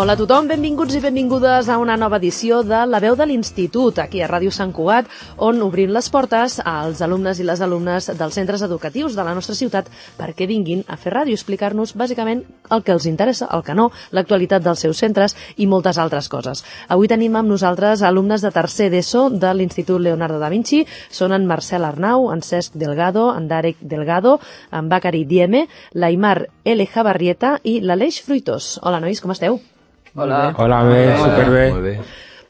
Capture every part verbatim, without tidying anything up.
Hola a tothom, benvinguts i benvingudes a una nova edició de La Veu de l'Institut, aquí a Ràdio Sant Cugat, on obrim les portes als alumnes i les alumnes dels centres educatius de la nostra ciutat perquè vinguin a fer ràdio, explicar-nos bàsicament el que els interessa, el que no, l'actualitat dels seus centres i moltes altres coses. Avui tenim amb nosaltres alumnes de tercer d'ESO de l'Institut Leonardo da Vinci. Són en Marcel Arnau, en Cesc Delgado, en Darek Delgado, en Bakari Dieme, l'Aimar L. Jabarrieta i l'Aleix Fruitós. Hola, nois, com esteu? Hola. Hola, bé, superbé. Molt bé.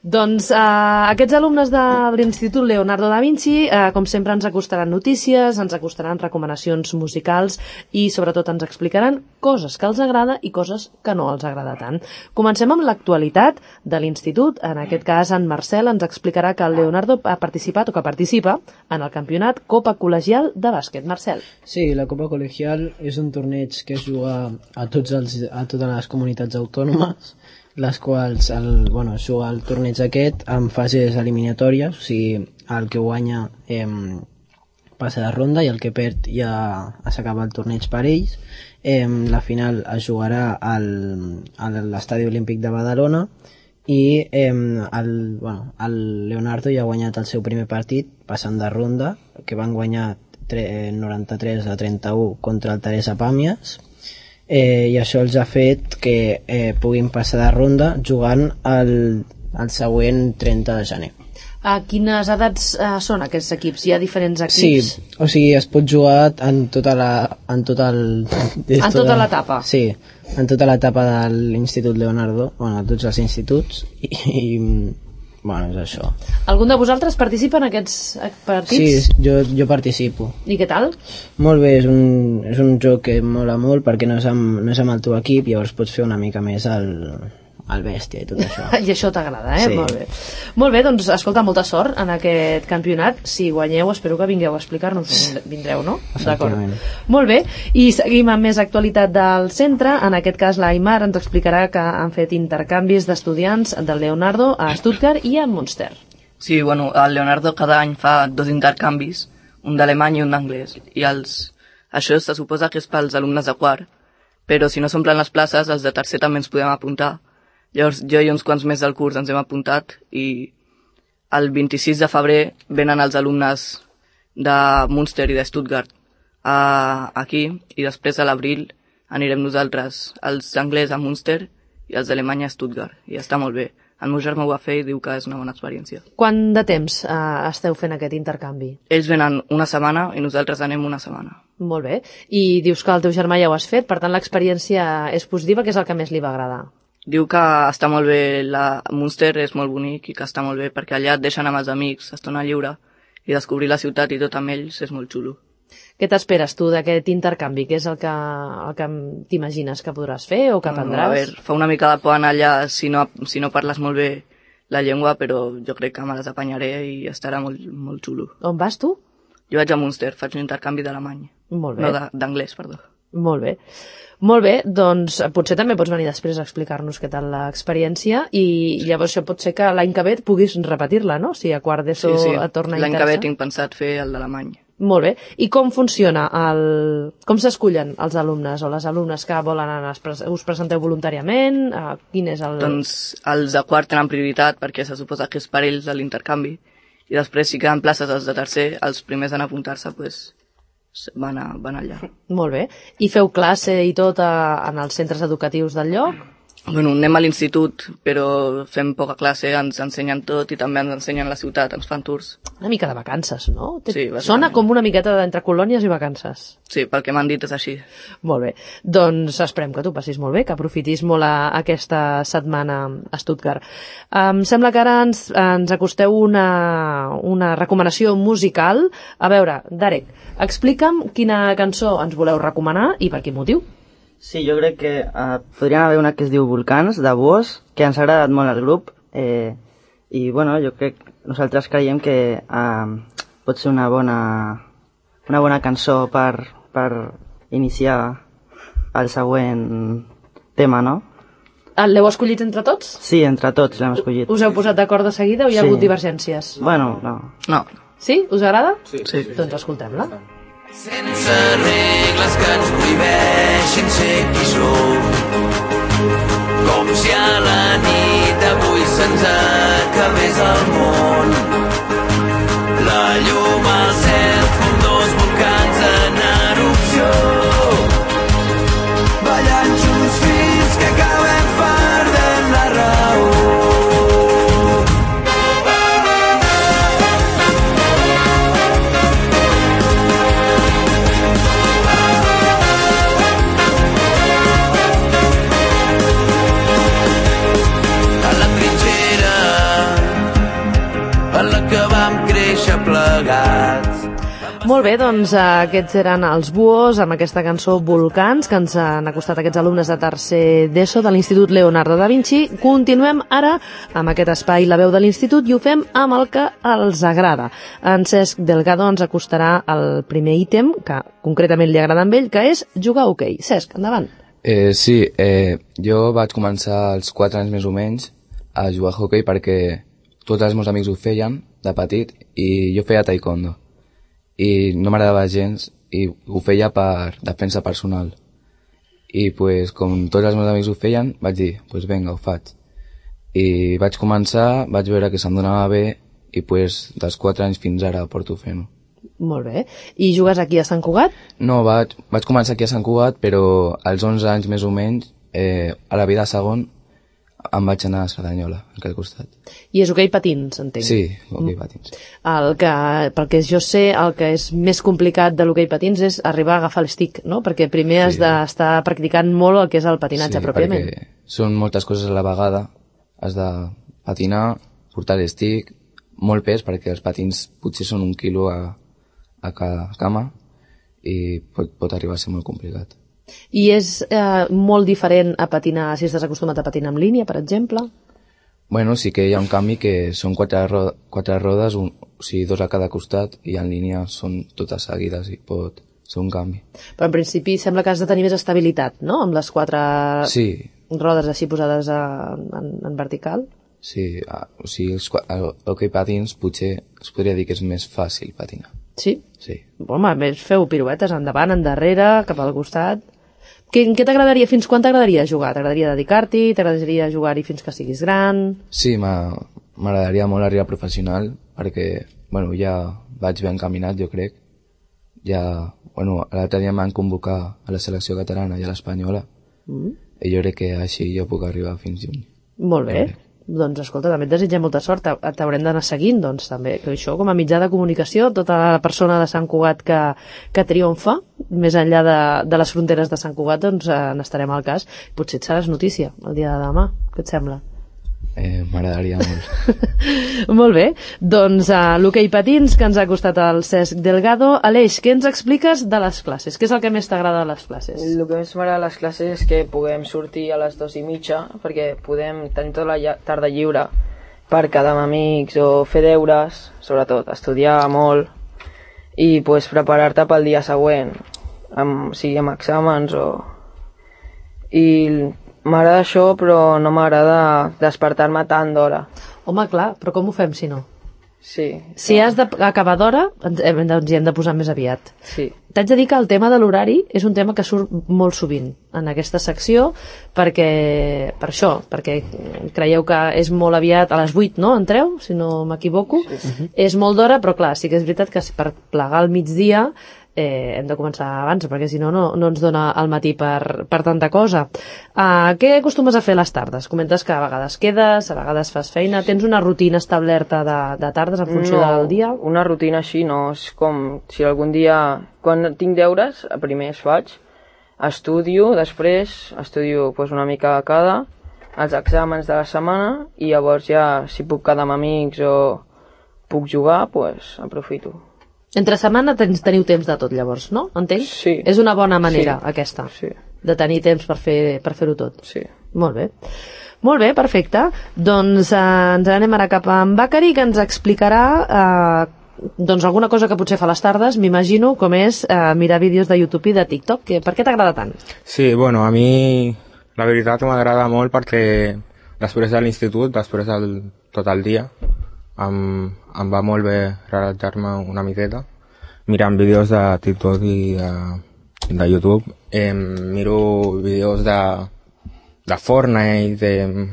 Doncs eh, aquests alumnes de l'Institut Leonardo da Vinci, eh, com sempre, ens acostaran notícies, ens acostaran recomanacions musicals i, sobretot, ens explicaran coses que els agrada i coses que no els agrada tant. Comencem amb l'actualitat de l'Institut. En aquest cas, en Marcel ens explicarà que el Leonardo ha participat o que participa en el campionat Copa Col·legial de bàsquet. Marcel. Sí, la Copa Col·legial és un torneig que es juga a, tots els, a totes les comunitats autònomes, les quals el, bueno, es juga el torneig aquest en fases eliminatòries, o sigui, el que guanya eh, passa de ronda i el que perd ja s'acaba el torneig per ells. Eh, la final es jugarà al, a l'Estadi Olímpic de Badalona i eh, el, bueno, el Leonardo ja ha guanyat el seu primer partit passant de ronda, que van guanyar noranta-tres a trenta-u contra el Teresa Pàmies. Eh, i això els ha fet que eh, puguin passar de ronda jugant el, el següent trenta de gener. A quines edats eh, són aquests equips? Hi ha diferents equips? Sí, o sigui, es pot jugar en tota la... En, tot el, en tota l'etapa? Sí, en tota l'etapa de l'Institut Leonardo, bueno, tots els instituts, i, i bueno, és això. Algun de vosaltres participa en aquests partits? Sí, jo, jo participo. I què tal? Molt bé, és un, és un joc que mola molt perquè no és, amb, no és amb el teu equip, llavors pots fer una mica més el, el bèstia i tot això. I això t'agrada, eh? Sí. Molt bé. Molt bé, doncs, escolta, molta sort en aquest campionat. Si guanyeu, espero que vingueu a explicar-nos. Vindreu, no? D'acord. Molt bé, i seguim amb més actualitat del centre. En aquest cas, l'Aimar ens explicarà que han fet intercanvis d'estudiants del Leonardo a Stuttgart i a Münster. Sí, bueno, el Leonardo cada any fa dos intercanvis, un d'alemany i un d'anglès. I els... això se suposa que és pels alumnes de quart, però si no s'omplen les places, els de tercer també ens podem apuntar. Llavors jo i uns quants més del curs ens hem apuntat i el vint-i-sis de febrer venen els alumnes de Münster i de Stuttgart a, aquí i després a l'abril anirem nosaltres, els anglès a Münster i els d'Alemanya a Stuttgart i està molt bé. El meu germà ho va fer i diu que és una bona experiència. Quant de temps eh, esteu fent aquest intercanvi? Ells venen una setmana i nosaltres anem una setmana. Molt bé. I dius que el teu germà ja ho has fet, per tant l'experiència és positiva, que és el que més li va agradar? Diu que està molt bé, la Münster és molt bonic i que està molt bé perquè allà et deixen amb els amics, estona lliure i descobrir la ciutat i tot amb ells és molt xulo. Què t'esperes tu d'aquest intercanvi? Què és el que, el que t'imagines que podràs fer o que aprendràs? A veure, fa una mica de por anar allà si no, si no parles molt bé la llengua, però jo crec que me les apanyaré i estarà molt, molt xulo. On vas tu? Jo vaig a Münster, faig un intercanvi d'alemany. Molt bé. No, d'anglès, perdó. Molt bé. Molt bé, doncs potser també pots venir després a explicar-nos què tal l'experiència i llavors això pot ser que l'any que ve puguis repetir-la, no? Si a quart d'ESO sí, sí. et torna a l'any interessar. que ve tinc pensat fer el d'alemany. Molt bé. I com funciona? El... Com s'escullen els alumnes o les alumnes que volen anar? Us presenteu voluntàriament? Quin és el... Doncs els de quart tenen prioritat perquè se suposa que és per ells l'intercanvi i després si queden places els de tercer, els primers en apuntar-se, doncs van, a, van allà. Molt bé. I feu classe i tot a, en els centres educatius del lloc? Bueno, anem a l'institut, però fem poca classe, ens ensenyen tot i també ens ensenyen la ciutat, ens fan tours. Una mica de vacances, no? Sí, sona com una miqueta d'entre colònies i vacances. Sí, pel que m'han dit és així. Molt bé. Doncs esperem que tu passis molt bé, que aprofitis molt a, aquesta setmana a Stuttgart. Em sembla que ara ens, ens acosteu una, una recomanació musical. A veure, Darek, explica'm quina cançó ens voleu recomanar i per quin motiu. Sí, jo crec que uh, podríem haver una que es diu Volcans, de Bosch, que ens ha agradat molt al grup, eh, i bueno, jo crec, nosaltres creiem que uh, pot ser una bona, una bona cançó per, per iniciar el següent tema, no? L'heu escollit entre tots? Sí, entre tots l'hem escollit. Us heu posat d'acord de seguida o hi ha sí. hagut divergències? Bueno, no. No. Sí? Us agrada? Sí. sí. Doncs escoltem-la. Sense regles que ens prohibeixin ser qui som. com si a la nit avui se'ns acabés el món. La llum al cel com dos volcans en erupció, ballant junts fins que acabem perdent la raó. Plegats. Molt bé, doncs aquests eren els Buhos amb aquesta cançó Volcans que ens han acostat aquests alumnes de tercer d'ESO de l'Institut Leonardo da Vinci. Continuem ara amb aquest espai La veu de l'Institut i ho fem amb el que els agrada. En Cesc Delgado ens acostarà el primer ítem que concretament li agrada a ell, que és jugar a hoquei. Cesc, endavant. Eh, sí, eh, jo vaig començar als quatre anys més o menys a jugar a hoquei perquè tots els meus amics ho feien de petit i jo feia taekwondo i no m'agradava gens i ho feia per defensa personal i pues, com tots els meus amics ho feien vaig dir, pues venga, ho faig i vaig començar, vaig veure que se'm donava bé i pues, dels quatre anys fins ara porto fent-ho. Molt bé. I jugues aquí a Sant Cugat? No, vaig, vaig començar aquí a Sant Cugat però als onze anys més o menys eh, a la vida segon em vaig anar a Cerdanyola, al aquell costat. I és hoquei patins, entenc? Sí, hoquei patins. El que, pel que jo sé, el que és més complicat de l'hoquei patins és arribar a agafar l'estic, no? Perquè primer has sí. d'estar practicant molt el que és el patinatge sí, pròpiament. Sí, perquè són moltes coses a la vegada. Has de patinar, portar l'estic, molt pes, perquè els patins potser són un quilo a, a cada cama i pot, pot arribar a ser molt complicat. I és eh, molt diferent a patinar si estàs acostumat a patinar en línia, per exemple? Bueno, sí que hi ha un canvi que són quatre, ro quatre rodes, un, o sigui, dos a cada costat, i en línia són totes seguides i pot ser un canvi. Però en principi sembla que has de tenir més estabilitat, no?, amb les quatre sí. rodes així posades a, en, en vertical. Sí, a, o sigui, els hoquei patins potser es podria dir que és més fàcil patinar. Sí? Sí. Home, a més feu piruetes endavant, endarrere, cap al costat. Què, què t'agradaria, fins quan t'agradaria jugar? T'agradaria dedicar-t'hi? T'agradaria jugar-hi fins que siguis gran? Sí, m'agradaria molt arribar professional perquè, bueno, ja vaig ben encaminat, jo crec. Ja, bueno, l'altre dia m'han convocat a la selecció catalana i a l'espanyola mm. i jo crec que així jo puc arribar fins juny. Molt bé. Doncs escolta, també et desitgem molta sort, t'haurem d'anar seguint, doncs també, que això com a mitjà de comunicació, tota la persona de Sant Cugat que, que triomfa, més enllà de, de les fronteres de Sant Cugat, doncs eh, n'estarem al cas. Potser et seràs notícia el dia de demà, què et sembla? Eh, M'agradaria molt. Molt bé, doncs uh, l'hoquei patins que ens ha costat el Cesc Delgado. Aleix, què ens expliques de les classes? Què és el que més t'agrada de les classes? El que més m'agrada de les classes és que puguem sortir a les dues i mitja perquè podem tenir tota la tarda lliure per quedar amb amics o fer deures, sobretot estudiar molt i pues, preparar-te pel dia següent, amb, sigui amb exàmens o... I m'agrada això, però no m'agrada despertar-me tant d'hora. Home, clar, però com ho fem si no? Sí. Si has d'acabar d'hora, ens hem, ens hi hem de posar més aviat. Sí. T'haig de dir que el tema de l'horari és un tema que surt molt sovint en aquesta secció, perquè, per això, perquè creieu que és molt aviat, a les vuit, no? Entreu, si no m'equivoco. Sí. Uh-huh. És molt d'hora, però clar, sí que és veritat que per plegar al migdia eh, hem de començar abans, perquè si no, no, no ens dona el matí per, per tanta cosa. Uh, què acostumes a fer a les tardes? Comentes que a vegades quedes, a vegades fas feina. Tens una rutina establerta de, de tardes en funció no, del dia? Una rutina així no. És com si algun dia, quan tinc deures, primer es faig, estudio, després estudio pues, una mica a cada, els exàmens de la setmana, i llavors ja, si puc quedar amb amics o puc jugar, pues, aprofito. Entre setmana tens, teniu temps de tot, llavors, no? Entenc? Sí. És una bona manera, sí. aquesta, sí. de tenir temps per fer per fer-ho tot. Sí. Molt bé. Molt bé, perfecte. Doncs eh, ens anem ara cap a en Bacari, que ens explicarà eh, doncs alguna cosa que potser fa a les tardes, m'imagino, com és eh, mirar vídeos de YouTube i de TikTok. Que, per què t'agrada tant? Sí, bueno, a mi la veritat m'agrada molt perquè després de l'institut, després del tot el dia, em, em va molt bé relaxar-me una miqueta mirant vídeos de TikTok i de, de YouTube. Eh, miro vídeos de, de Fortnite, de...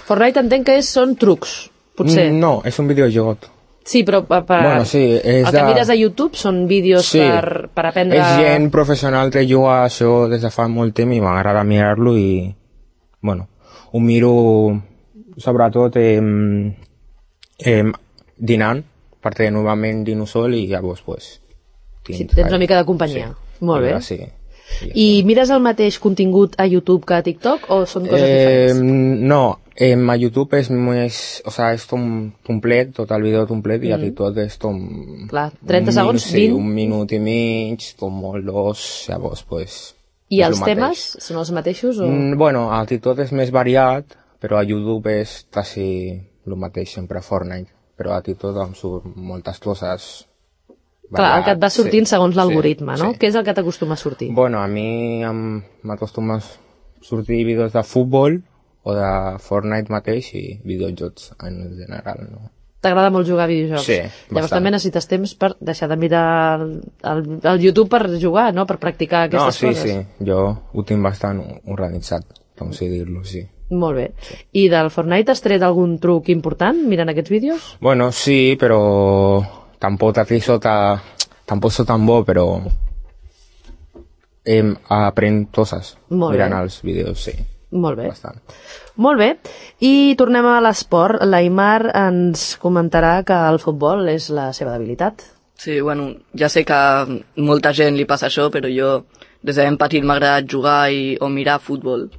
Fortnite entenc que és, són trucs, potser. No, és un videojoc. Sí, però per, per... Bueno, sí, és el que de... mires a YouTube són vídeos sí, per, per aprendre... És gent professional que juga això des de fa molt temps i m'agrada mirar-lo i, bueno, ho miro sobretot eh, eh, dinant, perquè normalment dino sol i llavors, pues... Sí, tens una mica de companyia. Sí, molt bé. Sí. I mires el mateix contingut a YouTube que a TikTok o són coses eh, diferents? No, eh, a YouTube és més, o sea, és tom complet, tot el vídeo complet, mm. i a TikTok és tom... Clar, trenta segons, sí, vint? un minut i mig, com molt dos, llavors, pues... I els temes són els mateixos? O... Mm, bueno, a TikTok és més variat, però a YouTube és quasi el mateix, sempre Fortnite, però a TikTok em surt moltes coses... Clar, el que et va sortint sí, segons l'algoritme, sí, no? Sí. Què és el que t'acostuma a sortir? Bueno, a mi m'acostuma a sortir vídeos de futbol o de Fortnite mateix i videojocs en general, no? T'agrada molt jugar a videojocs? Sí, Llavors bastant. també necessites temps per deixar de mirar el, el, el YouTube per jugar, no? Per practicar aquestes no, sí, coses. No, sí, sí. Jo ho tinc bastant organitzat, com si dir-lo, sí. Molt bé. Sí. I del Fortnite has tret algun truc important mirant aquests vídeos? Bueno, sí, però... Tampoc aquí sota, tampoc sóc tan bo, però em, aprèn coses mirant els vídeos, sí. Molt bé. Bastant. Molt bé. I tornem a l'esport. L'Aimar ens comentarà que el futbol és la seva debilitat. Sí, bueno, ja sé que a molta gent li passa això, però jo des de ben petit m'ha agradat jugar i, o mirar futbol.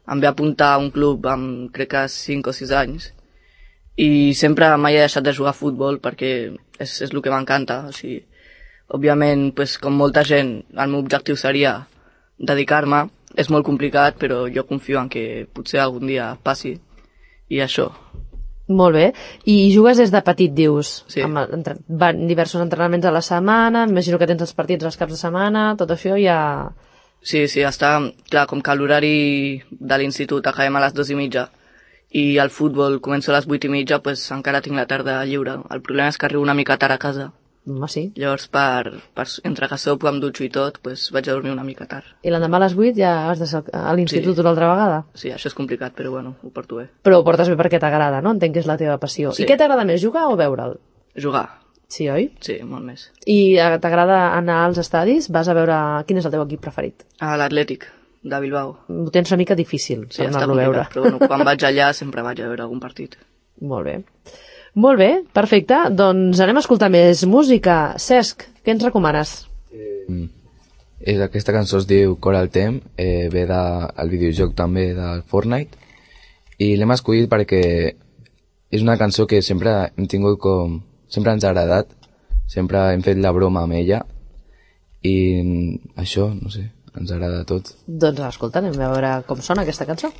Em vaig apuntar a un club amb crec que cinc o sis anys i sempre mai he deixat de jugar a futbol perquè és, és el que m'encanta. O sigui, òbviament, pues, com molta gent, el meu objectiu seria dedicar-me. És molt complicat, però jo confio en que potser algun dia passi. I això. Molt bé. I jugues des de petit, dius? Sí. Amb, entre, van diversos entrenaments a la setmana, m'imagino que tens els partits els caps de setmana, tot això ja... Sí, sí, està clar, com que l'horari de l'institut acabem a les dues i mitja i el futbol començo a les vuit i mitja, pues encara tinc la tarda lliure. El problema és que arribo una mica tard a casa. Home, sí. Llavors, per, per, entre que sopo, em dutxo i tot, pues vaig a dormir una mica tard. I l'endemà a les vuit ja has de ser a l'institut sí. Una altra vegada? Sí, això és complicat, però bueno, ho porto bé. Però ho portes bé perquè t'agrada, no? Entenc que és la teva passió. Sí. I què t'agrada més, jugar o veure'l? Jugar. Sí, oi? Sí, molt més. I t'agrada anar als estadis? Vas a veure... Quin és el teu equip preferit? A l'Atlètic, de Bilbao. Ho tens una mica difícil, sí, anar-lo a veure. Però bueno, quan vaig allà sempre vaig a veure algun partit. Molt bé. Molt bé, perfecte. Doncs anem a escoltar més música. Cesc, què ens recomanes? Mm. És, aquesta cançó es diu Coral Tem, eh, ve del de, videojoc també del Fortnite, i l'hem escollit perquè és una cançó que sempre hem tingut com... sempre ens ha agradat, sempre hem fet la broma amb ella, i això, no sé, ens agrada a tots. Doncs escolta, anem a veure com sona aquesta cançó.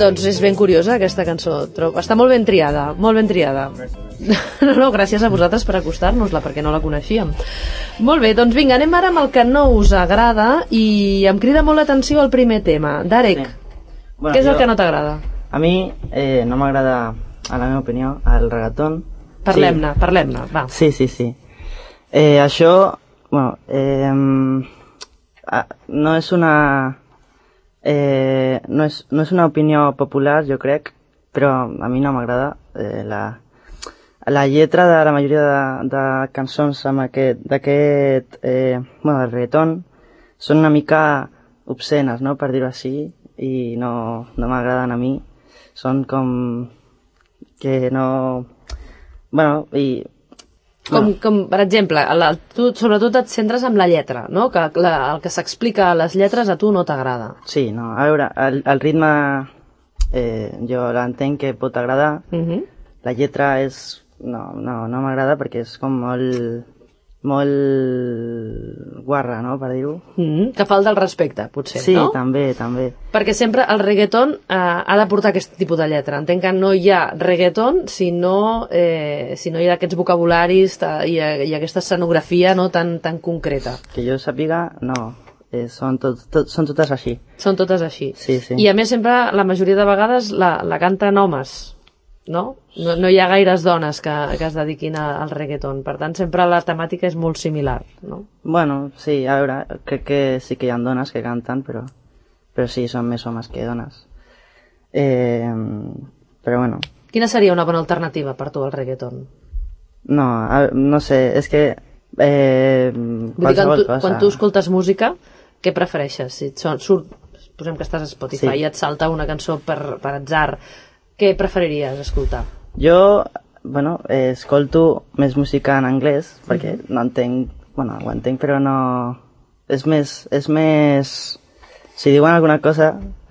Doncs és ben curiosa aquesta cançó, trobo. Està molt ben triada, molt ben triada. No, no, gràcies a vosaltres per acostar-nos-la, perquè no la coneixíem. Molt bé, doncs vinga, anem ara amb el que no us agrada i em crida molt l'atenció el primer tema. Darek, sí. bueno, què és jo, el que no t'agrada? A mi eh, no m'agrada, a la meva opinió, el reggaeton. Parlem-ne, sí. parlem-ne, va. Sí, sí, sí. Eh, això, bueno, eh, no és una... Eh, no, és, no és una opinió popular, jo crec, però a mi no m'agrada eh, la, la lletra de la majoria de, de cançons amb aquest, d'aquest, eh, bueno, del reggaeton, són una mica obscenes, no?, per dir-ho així, i no, no m'agraden a mi. Són com que no... Bueno, i... Com, com per exemple, la, tu sobretot et centres en la lletra, no? Que la, el que s'explica a les lletres a tu no t'agrada. Sí, no, a veure, el, el ritme eh, jo l'entenc que pot agradar. Uh-huh. La lletra és... No, no, no m'agrada perquè és com molt... molt guarra, no?, per dir-ho. Mm-hmm. Que falta el respecte, potser, sí, no? Sí, també, també. Perquè sempre el reggaeton eh, ha de portar aquest tipus de lletra. Entenc que no hi ha reggaeton si no, eh, si no hi ha aquests vocabularis ta, i, i aquesta escenografia, no, tan, tan concreta. Que jo sàpiga, no. Eh, són, tot, tot, són totes així. Són totes així. Sí, sí. I a més sempre, la majoria de vegades, la, la canten homes, no? No, no hi ha gaires dones que, que es dediquin a, al reggaeton. Per tant, sempre la temàtica és molt similar, no? Bueno, sí, a veure, crec que sí que hi ha dones que canten, però, però sí, són més homes que dones. Eh, però bueno. Quina seria una bona alternativa per tu al reggaeton? No, a, no sé, és que... Eh, Vull dir que tu, quan tu escoltes música, què prefereixes? Si et surt, posem que estàs a Spotify sí. i et salta una cançó per, per atzar, què preferiries escoltar? Jo, bueno, eh, escolto més música en anglès, perquè mm-hmm. no entenc, bueno, ho entenc, però no... És més, és més... Si diuen alguna cosa,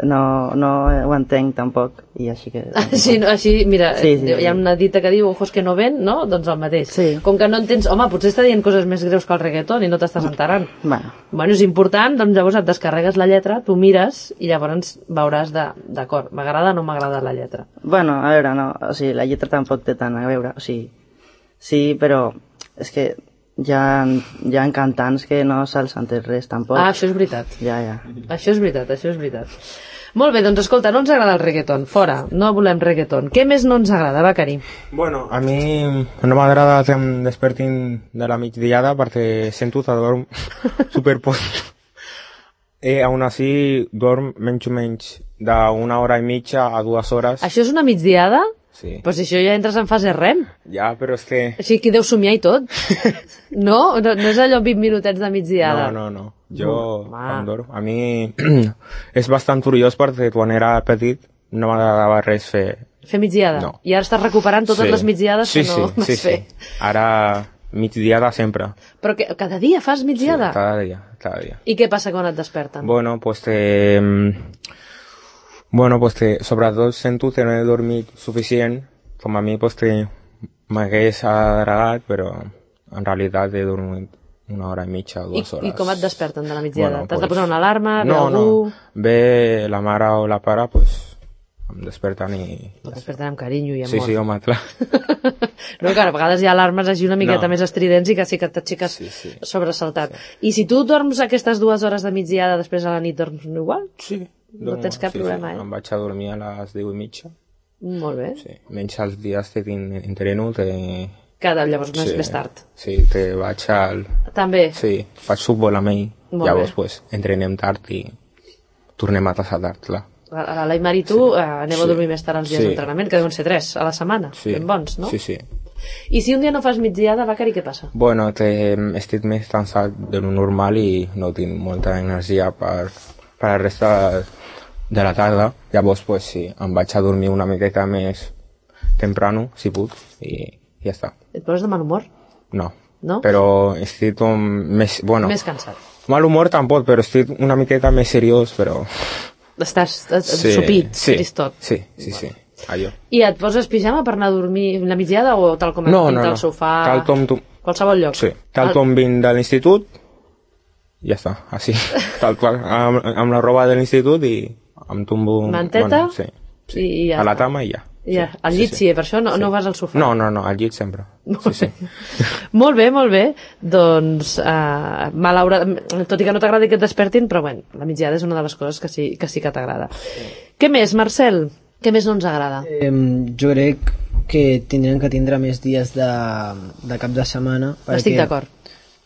no, no ho entenc tampoc, i així que... Així, no, així mira, sí, sí, hi ha una dita que diu ojos que no ven, no? Doncs el mateix. Sí. Com que no entens... Home, potser està dient coses més greus que el reggaeton i no t'estàs enterant. Bueno. Bueno, és important, doncs llavors et descarregues la lletra, tu mires i llavors veuràs de, d'acord, m'agrada o no m'agrada la lletra. Bueno, a veure, no, o sigui, la lletra tampoc té tant a veure, o sigui, sí, però és que hi ha, hi ha cantants que no se'ls entès res tampoc. Ah, això és veritat. Ja, ja. Això és veritat, això és veritat. Molt bé, doncs escolta, no ens agrada el reggaeton, fora, no volem reggaeton. Què més no ens agrada, Becari? Bueno, a mi no m'agrada que em despertin de la migdiada perquè sento que dorm superpoc. Eh, aún así, dorm menys o menys d'una hora i mitja a dues hores. Això és una migdiada? Sí. Però si això ja entres en fase rem. Ja, però és que... Així que deu somiar i tot. No? No, no és allò vint minutets de migdiada. No, no, no. Jo no, em dorm. A mi és bastant curiós perquè quan era petit no m'agradava res fer... Fer migdiada? No. I ara estàs recuperant totes sí. les migdiades sí, que no sí, vas sí, fer. Sí. Ara migdiada sempre. Però que, cada dia fas migdiada? Sí, cada dia, cada dia. I què passa quan et desperten? Bueno, pues te... Bueno, pues que sobretot sento que no he dormit suficient, com a mi pues que m'hagués agradat, però en realitat he dormit una hora i mitja o dues I, hores. I com et desperten de la migdiada? Bueno, T'has pues, de posar una alarma? Ve no, algú? No, ve la mare o la pare, pues em desperten i... Et desperten amb carinyo i amor. Sí, sí, home, clar. No, que a vegades hi ha alarmes així una miqueta no. més estridents i que sí que t'aixeques sí, sí. sobresaltat. Sí. I si tu dorms aquestes dues hores de migdiada, després a la nit dorms igual? Sí. No tens cap sí, problema, sí. eh? Em vaig a dormir a les deu i mitja. Molt bé. Sí. Menys els dies que tinc entreno, te... Cada, llavors més, sí. més tard. Sí, te vaig al... També? Sí, faig futbol amb ell. Molt llavors, bé. pues, entrenem tard i tornem a tasar tard, clar. A l'Aimar i tu sí. eh, aneu a dormir sí. més tard els dies sí. d'entrenament, que deuen ser tres a la setmana. Sí. Ben bons, no? Sí, sí. I si un dia no fas migdiada, Becari, què passa? Bueno, te, estic més cansat de lo normal i no tinc molta energia per, per la resta de la tarda. Llavors, pues, sí, em vaig a dormir una miqueta més temprano, si puc, i ja està. Et poses de mal humor? No. No? Però estic com més... Bueno, més cansat. Mal humor tampoc, però estic una miqueta més seriós, però... Estàs sí, sopit, sí, tristot. Sí, sí, sí, allò. I et poses pijama per anar a dormir la migdiada o tal com et no, pinta no, no. al sofà? Tal com tu... Qualsevol lloc? Sí, tal com vinc de l'institut, ja està, així, tal qual, amb, amb la roba de l'institut i em tombo... Manteta? Bueno, sí, sí. I ja a la està. cama i ja. Ja, sí, al llit sí, sí, per això no, sí. no vas al sofà. No, no, no, al llit sempre. Sí, sí. Molt bé, molt bé. Doncs, uh, malauradament, tot i que no t'agradi que et despertin, però bueno, la migdiada és una de les coses que sí que, sí que t'agrada. Sí. Què més, Marcel? Què més no ens agrada? Eh, jo crec que tindrem que tindre més dies de, de cap de setmana. Estic d'acord.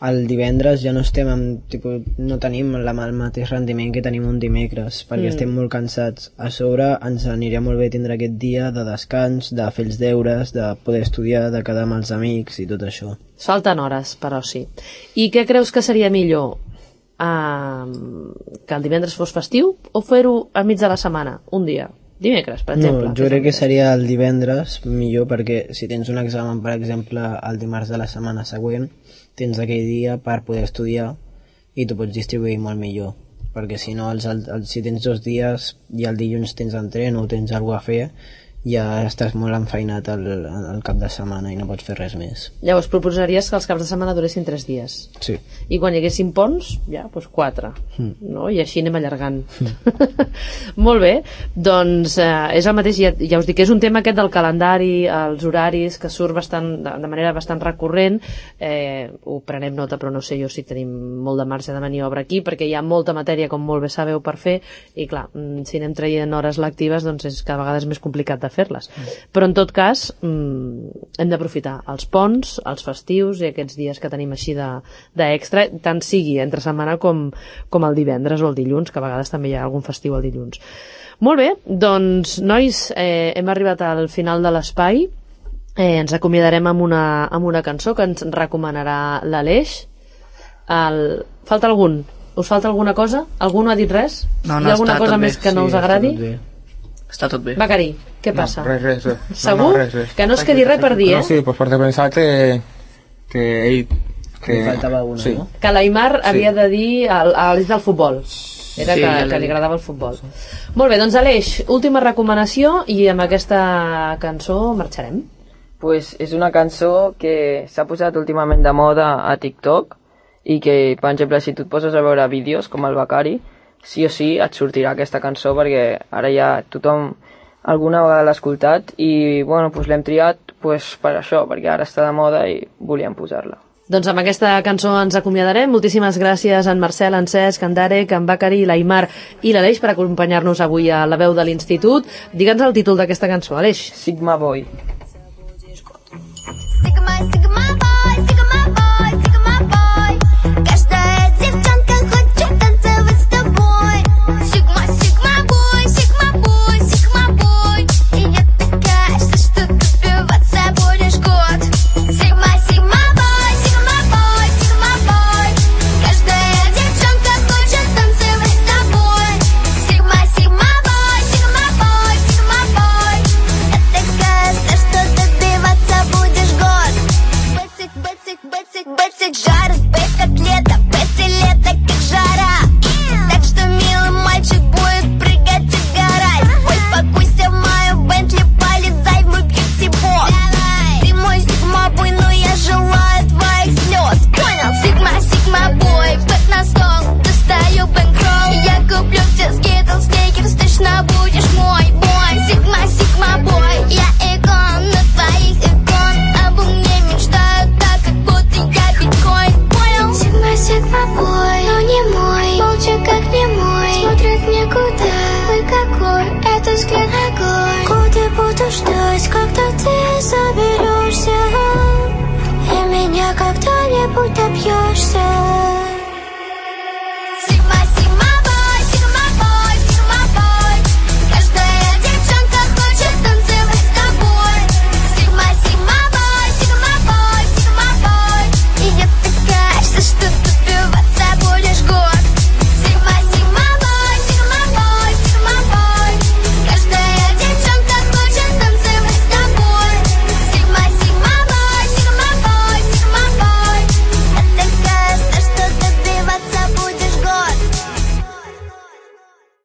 El divendres ja no estem amb, tipus, no tenim la, el mateix rendiment que tenim un dimecres, perquè mm. estem molt cansats. A sobre ens aniria molt bé tindre aquest dia de descans, de fer els deures, de poder estudiar, de quedar amb els amics i tot això. Falten hores, però sí. I què creus que seria millor? uh, que el divendres fos festiu o fer-ho al mig de la setmana, un dia? Dimecres, per exemple. No, jo crec que seria el divendres millor, perquè si tens un examen, per exemple, el dimarts de la setmana següent, tens aquell dia per poder estudiar i tu pots distribuir molt millor, perquè si no, els, els, si tens dos dies i el dilluns tens entreno o tens alguna cosa a fer, ja estàs molt enfeinat al, al cap de setmana i no pots fer res més. Llavors proposaries que els caps de setmana duressin tres dies. Sí. I quan hi haguessin ponts, ja, doncs quatre. Mm. No? I així anem allargant. Mm. Molt bé, doncs eh, és el mateix, ja, ja us dic que és un tema aquest del calendari, els horaris, que surt bastant, de, de manera bastant recurrent. Eh, ho prenem nota, però no sé jo si tenim molt de marge de maniobra aquí, perquè hi ha molta matèria, com molt bé sabeu, per fer, i clar, si anem traient hores lectives, doncs és cada vegada és més complicat de fer-les. Però en tot cas mmm, hem d'aprofitar els ponts, els festius i aquests dies que tenim així d'extra, de, tant sigui entre setmana com, com el divendres o el dilluns, que a vegades també hi ha algun festiu el dilluns. Molt bé, doncs nois, eh, hem arribat al final de l'espai. Eh, ens acomiadarem amb una, amb una cançó que ens recomanarà l'Aleix. El... Falta algun? Us falta alguna cosa? Algú no ha dit res? No, no, hi ha alguna està cosa tot més bé. que no Sí, us agradi? està tot bé. Està tot bé. Becari, què passa? No, res, res, res. Segur? No, no, res, res. Que no es quedi res per dir, eh? No, sí, pues perquè pensava que, que ell... Que... Li faltava alguna, sí. no? Que l'Aimar Sí. havia de dir a l'Aleix del futbol. Era Sí, que, ja l'he que li dit. agradava el futbol. Molt bé, doncs Aleix, última recomanació i amb aquesta cançó marxarem. Pues és una cançó que s'ha posat últimament de moda a TikTok i que, per exemple, si tu et poses a veure vídeos com el Becari, sí o sí et sortirà aquesta cançó perquè ara ja tothom alguna vegada l'ha escoltat i bueno, pues l'hem triat pues, per això, perquè ara està de moda i volíem posar-la. Doncs amb aquesta cançó ens acomiadarem. Moltíssimes gràcies a en Marcel, en Cesc, en Darek, en Becari, l'Aimar i l'Aleix per acompanyar-nos avui a la veu de l'Institut. Digue'ns el títol d'aquesta cançó, Aleix. Sigma Boy.